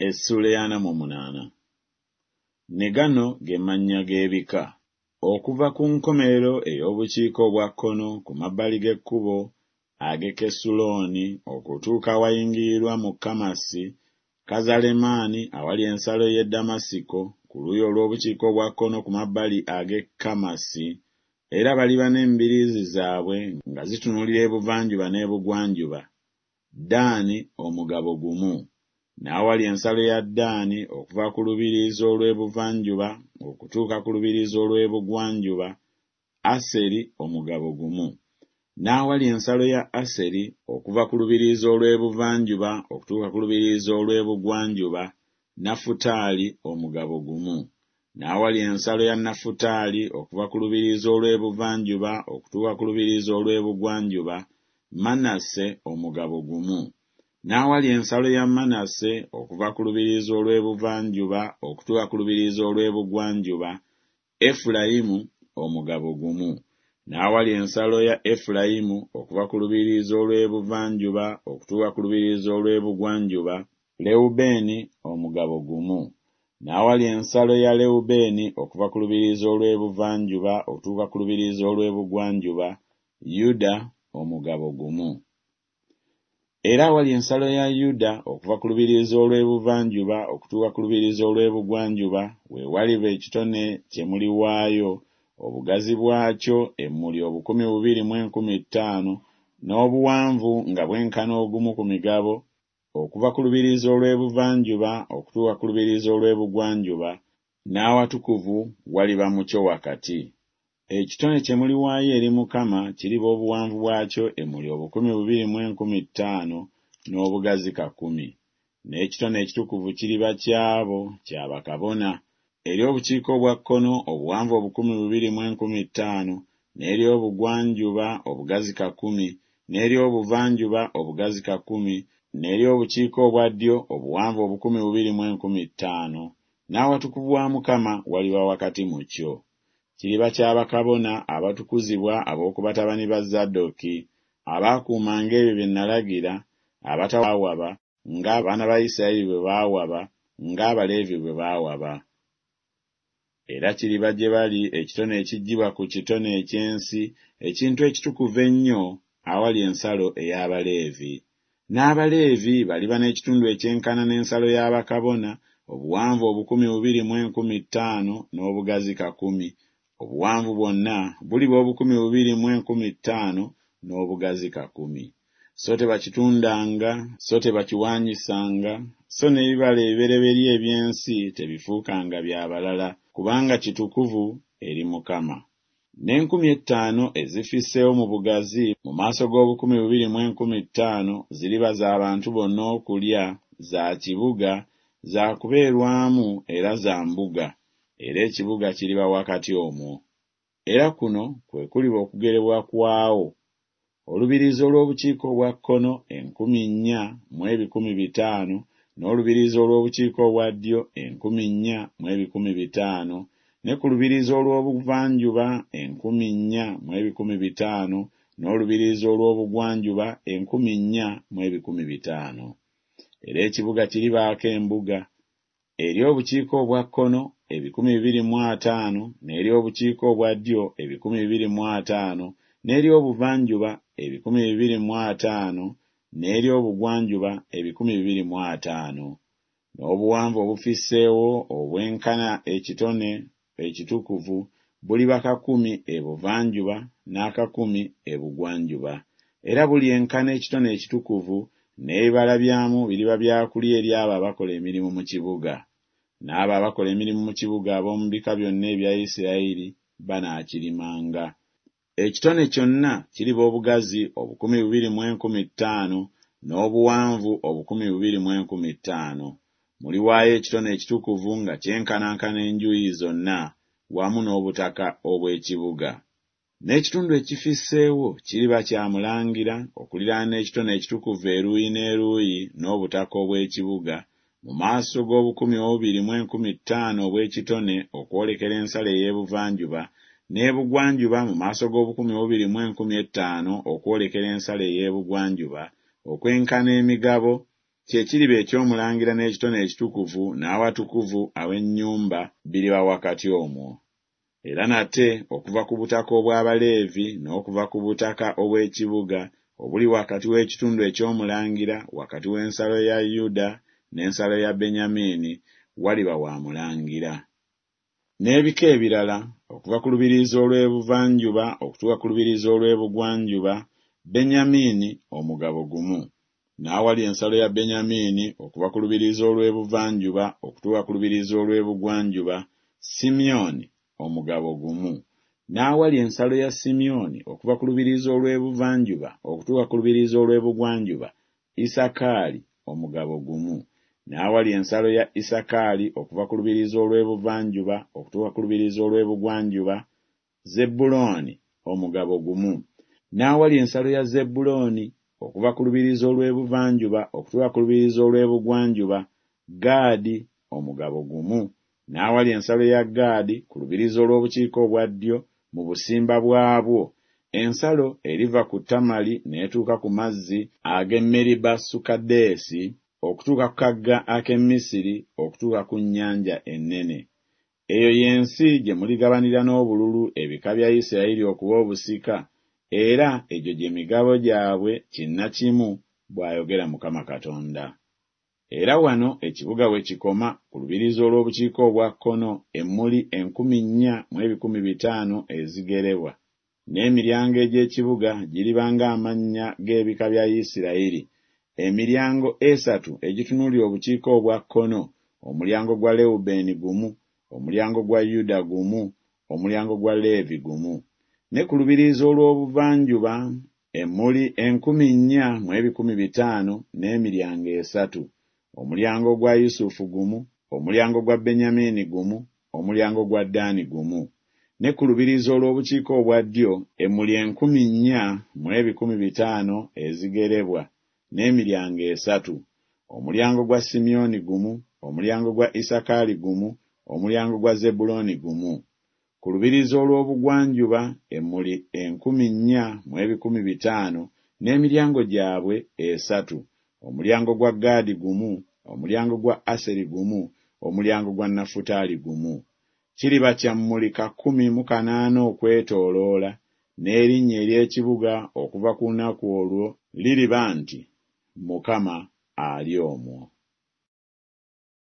Essuula ey'ana mu munaana. Ne gano ge mannya g'ebika. Okuva ku nkomerero ey'obukiika obwa kkono ku mabbali g'ekkubo ag'e Kesulooni okutuuka awayingirirwa mu Kamasi, Kazalemaani awali ensalo y'e Ddamasiko ku luuyi olw'obukiika obwa kkono ku mabbali ag'e Kamasi, era baliba n'embiriizi zaabwe nga zitunuulira ebuvanjuba n'ebugwanjuba, Ddaani omugabo gumu. N'awali ensalo ya Ddaani okuva ku lubiriizi olw'ebuvanjuba okutuuka ku lubiriizi olw'ebugwanjuba, Aseri omugabo gumu. N'awali ensalo ya Aseri okuva ku lubiriizi olw'ebuvanjuba okutuuka ku lubiriizi olw'ebugwanjuba, Nafutaali omugabo gumu. N'awali ensalo ya Nafutaali okuva ku lubiriizi olw'ebuvanjuba okutuuka ku lubiriizi olw'ebugwanjuba, Manase omugabo gumu. N'awali ensalo ya Manase okuva ku lubiriizi olw'ebuvanjuba okutuuka ku lubiriizi olw'ebugwanjuba, Efulayimu omugabo gumu. N'awali ensalo ya Efulayimu okuva ku lubiriizi olw'ebuvanjuba okutuuka ku lubiriizi olw'ebugwanjuba, Lewubeeni omugabo gumu. N'awali ensalo ya Lewubeeni okuva ku lubiriizi olw'ebuvanjuba okutuuka ku lubiriizi olw'ebugwanjuba, Yuda omugabo gumu. Era awali ensalo ya Yuda okuva ku lubiriizi olw'ebuvanjuba okutuuka ku lubiriizi olw'ebugwanjuba we waliba ekitone kye muliwaayo, obugazi bwakyo emmuli 2,050, n'obuwanvu nga bwenkana ogumu ku migabo, okuva ku lubiriizi olw'ebuvanjuba okutuuka ku lubiriizi olw'ebugwanjuba, n'awatukuvu waliba mu kyo wakati. Ekitone kye muliwaayo eri Mukama kiriba obuwanvu bwakyo emmuli 2,050, n'obugazi kakumi. N'ekitone ekitukuvu kiriba ky'abo, kya bakabona. Eri obukiika obwa kkono obuwanvu 2,050, n'eri obugwanjuba obugazi kakumi, n'eri obuvanjuba obugazi kakumi, n'eri obukiika obwa ddyo obuwanvu 2,050, n'awatukuvu wa Mukama waliba wakati mu kyo. Kiriba kya bakabona abatukuzibwa ab'oku batabani ba Zadooki, abaakuumanga ebyo bye nalagira, abataawaba ng'abaana ba Isirayiri bwe baawaba, ng'Abaleevi bwe baawaba. Era kiriba gye bali ekitone ekiggyibwa ku kitone eky'ensi, ekintu ekitukuvu ennyo, awali ensalo ey'Abaleevi. N'Abaleevi baliba n'ekitundu ekyenkana n'ensalo ya bakabona, obuwanvu 2,050 n'obugazi kakumi, obuwanvu bwonna buliba 2,050 n'obugazi kakumi. So tebakitundanga, so tebakiwaanyisanga, so n'ebibala ebibereberye eby'ensi tebifuukanga bya balala, kubanga kitukuvu eri Mukama. N'enkumi ettaano ezifisseewo mu bugazi mu maaso g'obukumi bubiri mu enkumi ttaano ziriba za bantu bonna okulya, za kibuga, za kubeerwamu era za mbuga, era ekibuga kiriba wakati omwo. Era kuno kwe kuliba okugerebwa kwawo, olubiriizi olw'obukiika obwa kkono enkumi nnya mu ebikumi bitaano, n'olubiriizi olw'obukiika obwa ddyo enkumi nnya mu ebikumi bitaano, ne ku lubiriizi olw'obuvanjuba enkumi nnya mu ebikumi bitaano, n'olubiriizi olw'obugwanjuba enkumi nnya mu ebikumi bitaano. Era ekibuga kiribaako embuga, eri obukiika obwa kkono ebikumi bibiri mu ataano, n'eri obukiika obwa ddyo ebikumi bibiri mu ataano, n'eri obuvanjuba ebikumi bibiri mu ataano, n'eri obugwanjuba ebikumi bibiri mu ataano. N'obuwanvu obufisseewo obwenkana ekitone ekitukuvu buliba kakumi ebuvanjuba n'akakumi ebugwanjuba. Era bulyenkana ekitone ekitukuvu, n'ebibala byamu biriba bya kulya eri abo abakola emirimu mu kibuga. N'abo abakola emirimu mu kibuga ab'omu bika byonna ebya Isirayiri banaakirimanga. Ekitone kyonna kiriba obugazi 2,050 n'obuwanvu 2,050. Muliwaayo ekitone ekitukuvu nga kyenkanankana enjuuyi zonna wamu n'obutaka obw'ekibuga. N'ekitundu ekifisseewo kiriba kya mulangira okuliraana ekitone ekitukuvu eruuyi n'eruuyi n'obutaka obw'ekibuga, mu maaso g'obukumi obubiri mu enkumi ttaano obw'ekitone okwolekera ensalo ey'ebuvanjuba, n'ebugwanjuba mu maaso g'obukumi obubiri mu enkumi ettaano okwolekera ensalo ey'ebugwanjuba, okwenkana emigabo. Kye kiriba eky'omulangira n'ekitone ekitukuvu n'awatukuvu aw'ennyumba biriba wakati omwo. Era nate okuva ku butaka obw'Abaleevi n'okuva ku butaka obw'ekibuga, obuli wakati w'ekitundu eky'omulangira wakati w'ensalo ya Yuda n'ensalo ya Benyamini, waliba wa mulangira. N'ebika ebirala, okuva ku lubiriizi olw'ebuvanjuba okutuuka ku lubiriizi olw'ebugwanjuba, Benyamini omugabo gumu. N'awali ensalo ya Benyamini okuva ku lubiriizi olw'ebuvanjuba okutuuka ku lubiriizi olw'ebugwanjuba, Simyoni omugabo gumu. N'awali ensalo ya Simyoni okuva ku lubiriizi olw'ebuvanjuba okutuuka ku lubiriizi olw'ebugwanjuba, Isakaali omugabo gumu. N'awali ensalo ya Isakaali okuva ku lubiriizi olw'ebuvanjuba okutuuka ku lubiriizi olw'ebugwanjuba, Zebbulooni omugabo gumu. N'awali ensalo ya Zebbulooni okuva ku lubiriizi olw'ebuvanjuba okutuuka ku lubiriizi olw'ebugwanjuba, Gaadi omugabo gumu. N'awali ensalo ya Gaadi ku lubiriizi olw'obukiika obwa ddyo mu busimba bwabwo, ensalo eriva ku Tamali n'etuuka ku mazzi ag'e Meribasukadeesi, okutuuka ku kagga ak'e Misiri, okutuuka ku nnyanja ennene. Eyo y'ensi gye muligabanira n'obululu ebika bya Isirayiri okuba obusika, era egyo gye migabo gyabwe kinnakimu, bw'ayogera Mukama Katonda. Era wano ekibuga we kikoma ku lubiriizi olw'obukiika obwa kkono emmuli 4500 ezigerebwa. N'emiryango egy'ekibuga giriba ng'amannya g'ebika bya Isirayiri, emiryango esatu egitunuulira obukiika obwa kkono, omulyango gwa Lewubeeni gumu, omulyango gwa Yuda gumu, omulyango gwa Leevi gumu. Ne ku lubiriizi olw'obuvanjuba emmuli 4500 n'emiryango esatu, omulyango gwa Yusufu gumu, omulyango gwa Benyamini gumu, omulyango gwa Ddaani gumu. Ne ku lubiriizi olw'obukiika obwa ddyo emmuli 4500 ezigerebwa, n'emiryango esatu, omulyango gwa Simyoni gumu, omulyango gwa Isakaali gumu, omulyango gwa Zebbulooni gumu. Ku lubiriizi olw'obugwanjuba emmuli 4500 n'emiryango gyabwe esatu, omulyango gwa Gaadi gumu, omulyango gwa Aseri gumu, omulyango gwa Nafutaali gumu. Kiriba kya mmuli kakumi mu kanaana okwetooloola, n'erinnya ery'ekibuga okuva ku lunaku olwo liriba nti Mukama ali omwo.